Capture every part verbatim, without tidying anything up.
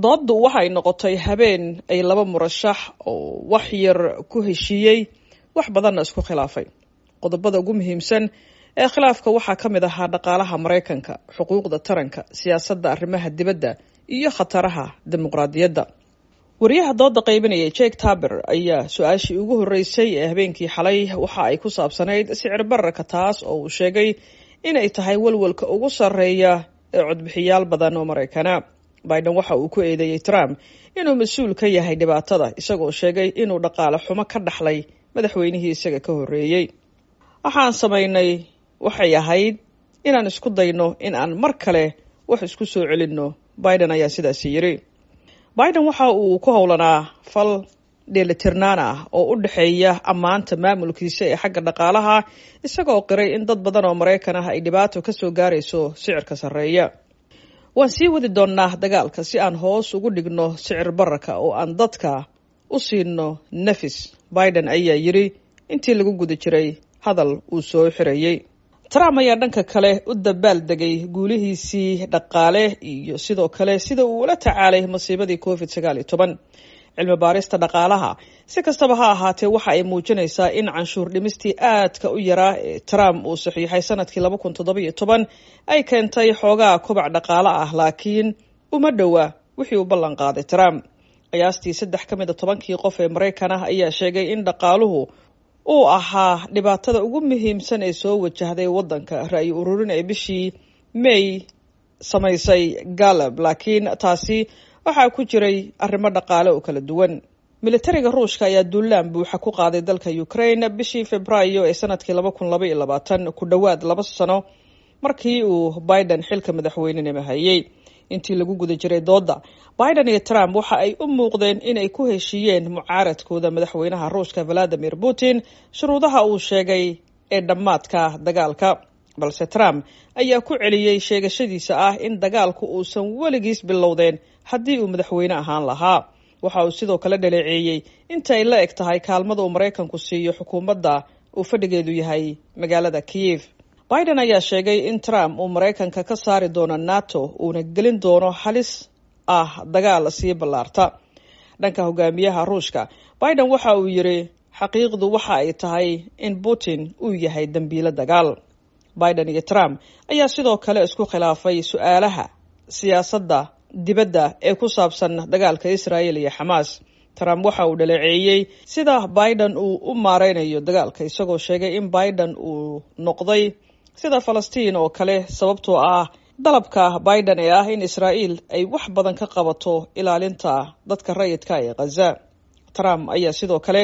Dooddu waxay noqotay habeen ay laba murashax oo wax yar ku heshiiyey, wax badanna isku khilaafay. Qodobada ugu muhiimsan ee khilaafka waxaa ka mid ahaa dhaqaalaha Maraykanka, xuquuqda taranka, siyaasadda arrimaha dibadda iyo khataraha dimuqraadiyadda. Wariyaha dooda qaybinaya Jake Taber ayaa su-aashii ugu horreysay ee habeenkii xalay waxa ay ku saabsanayd sicir bararka, taas oo uu sheegay inay tahay walwalka ugu sarreeya ee codbixiyaal badan oo Maraykana. Biden waxa uu ku eedeeyey Trump inuu mas-uul ka yahay dhibaatada, isagoo sheegay inuu dhaqaale xumo ka dhaxlay madaxweynihii isaga ka horreeyey. Waxaan samaynay waxay ahayd inaan isku dayno in aan mar kale wax isku soo celinno, Biden ayaa sidaasi yidhi. Biden waxa uu ku howlanaa fal dheelitirnaan ah oo u dhexeeya ammaanta maamulkiisa ee xagga dhaqaalaha, isagoo qiray in dad badan oo Maraykan ah ay dhibaato ka soo gaarayso sicirka sarreeya. Waan sii wadi doonnaa dagaalka si aan hoos ugu dhigno sicir bararka oo aan dadka u siino nafis, Biden ayaa yidhi intii lagu guda jiray hadal uu soo xirayey. Trump ayaa dhanka kale u dabaal degay guulihiisii dhaqaale iyo sidoo kale sida uu ula tacaalay masiibadii Covid sagaal iyo toban. Cilmi baarista dhaqaalaha si kastaba ha ahaatee waxa ay muujinaysaa in canshuur dhimistii aadka u yaraa ee Trump uu saxiixay sanadkii laba kun toddoba iyo toban ay keentay xoogaa kobac dhaqaale ah, laakiin uma dhowa wixii uu ballan qaaday Trump. Qiyaastii saddex ka mid a tobankii qof ee Maraykan ah ayaa sheegay in dhaqaaluhu uu ahaa dhibaatada ugu muhiimsan ee soo wajahday waddanka, ra'yi ururin ee bishii May samaysay Galab, laakiin taasi waxaa ku jiray arrimo dhaqaale oo kala duwan. Militariga Ruushka ayaa duulaan buuxa ku qaaday dalka Ukraine bishii Februaayo ee sanadkii laba kun laba iyo labaatan, ku dhowaad laba sano markii uu Biden xilka madaxweynenimo hayay. Intii lagu guda jiray doodda, Biden iyo Trump waxa ay u muuqdeen inay ku heshiiyeen mucaaradkooda madaxweynaha Ruushka Valadimir Putin shuruudaha uu sheegay ee dhammaadka dagaalka, balse Trump ayaa ku celiyey sheegashadiisa ah in dagaalku uusan weligiis bilowdeen haddii uu madaxweyne ahaan lahaa. Waxa uu sidoo kale dhaleeceeyey inta ay la eg tahay kaalmada uu Maraykanku siiyo xukuumadda uu fadhigeedu yahay magaalada Kiev. Biden ayaa sheegay in Trump uu Maraykanka ka saari doono NATO uuna gelin doono halis ah dagaal sii ballaarta. Dhanka hogaamiyaha Ruushka, Biden waxa uu yidhi xaqiiqdu waxa ay tahay in Putin uu yahay dembiilo dagaal. Biden iyo Trump ayaa sidoo kale isku khilaafay su-aalaha siyaasadda dibadda ee ku saabsan dagaalka Israel iyo Xamaas. Trump waxa uu dhaleeceeyey sida Biden uu u maareynayo dagaalka, isagoo sheegay in Biden uu noqday sida Falastiin oo kale, sababtoo ah dalabka Biden ee ah in Israa'iil ay wax badan ka qabato ilaalinta dadka rayidka ee Khaza. Trump ayaa sidoo kale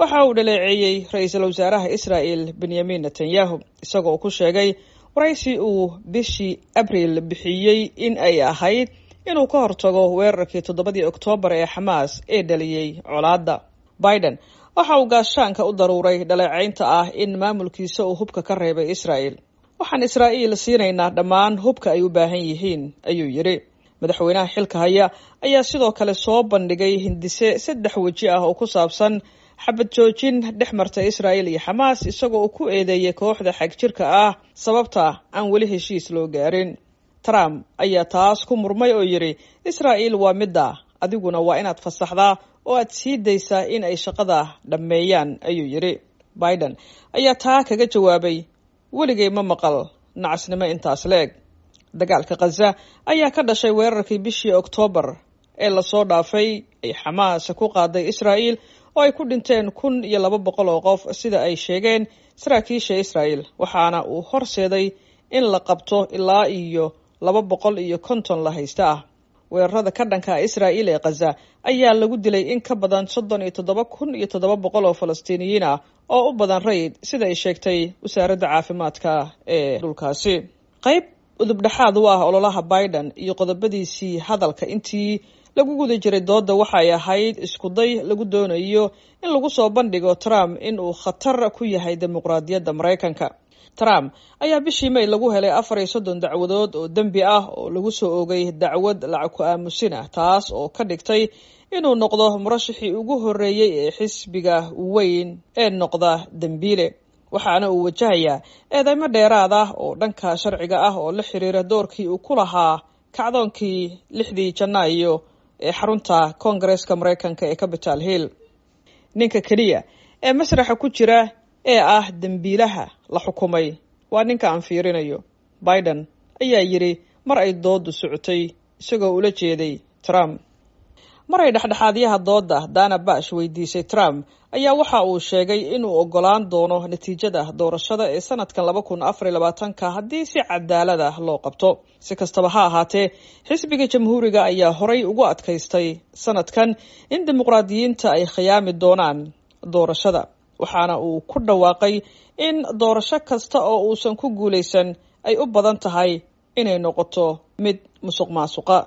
waxa uu dhaleeceeyey ra-iisul wasaaraha Israa'el Benyamin Netanyahu, isagoo ku sheegay waraysi uu bishii Abriil bixiyey in ay ahayd inuu ka hortago weerarkii toddobadii Oktoobar ee Xamaas ee dhaliyey colaadda. Biden waxa uu gaashaanka u daruuray dhaleecaynta ah in maamulkiisa uu hubka ka reebay Israa'el. Waxaan Israa'iil siinaynaa dhammaan hubka ay u baahan yihiin, ayuu yidhi. Madaxweynaha xilka haya ayaa sidoo kale soo bandhigay hindise saddex weji ah oo ku saabsan xabad joojin dhex marta Israa'il iyo Xamaas, isagoo uu ku eedeeyey kooxda xagjirka ah sababta aan weli heshiis loo gaarin. Trump ayaa taas ku murmay oo yidhi Israa'iil waa midda, adiguna waa inaad fasaxdaa oo aad sii daysaa in ay shaqada dhammeeyaan, ayuu yidhi. Biden ayaa taa kaga jawaabay weligay ma maqal nacasnimo intaas leeg. Dagaalka Khaza ayaa ka dhashay weerarkii bishii Oktoobar ee lasoo dhaafay ay Xamaas ku qaaday Israa'iil oo ay ku dhinteen kun iyo laba boqol oo qof, sida ay sheegeen saraakiisha Israa'iil, waxaana uu horseeday in la qabto ilaa iyo laba boqol iyo konton la haysta ah. Weerarada ka dhanka Israa'iil ee Khaza ayaa lagu dilay in ka badan soddon iyo toddoba kun iyo toddoba boqol oo Falastiiniyiin ah oo u badan rayid, sida ay sheegtay wasaaradda caafimaadka ee dhulkaasi. Qayb udubdhexaad u ah ololaha Biden iyo qodobadiisii hadalka intii lagu guda jiray doodda waxay ahayd iskuday lagu doonayo in lagu soo bandhigo Trump in uu khatar ku yahay dimuqraadiyadda Maraykanka. Trump ayaa bishii May lagu helay afar iyo soddon dacwadood oo dembi ah oo lagu soo oogay dacwad lacag ku aamusin ah, taas oo ka dhigtay inuu noqdo murashixii ugu horreeyey ee xisbiga weyn ee noqda dembiile. Waxaana uu wajahayaa eedeymo dheeraad ah oo dhanka sharciga ah oo la xiriira doorkii uu ku lahaa kacdoonkii lixdii Janaayo ee xarunta Koongareeska Maraykanka ee Capital Hill. Ninka keliya ee masraxa ku jira ee ah dembiilaha la xukumay waa ninka aan fiirinayo, Biden ayaa yidhi mar ay dooddu socotay, isagoo ula jeeday Trump. Mar ay dhexdhexaadyaha doodda Dana Bash weydiisay Trump ayaa waxa uu sheegay inuu ogolaan doono natiijada doorashada ee sanadkan laba kun afar iyo labaatanka haddii si cadaalad ah loo qabto. Si kastaba ha ahaatee, xisbiga Jamhuuriga ayaa horay ugu adkaystay sanadkan in dimuqraadiyiinta ay khiyaami doonaan doorashada, waxaana uu ku dhawaaqay in doorasho kasta oo uusan ku guulaysan ay u badan tahay inay noqoto mid musuq maasuqa.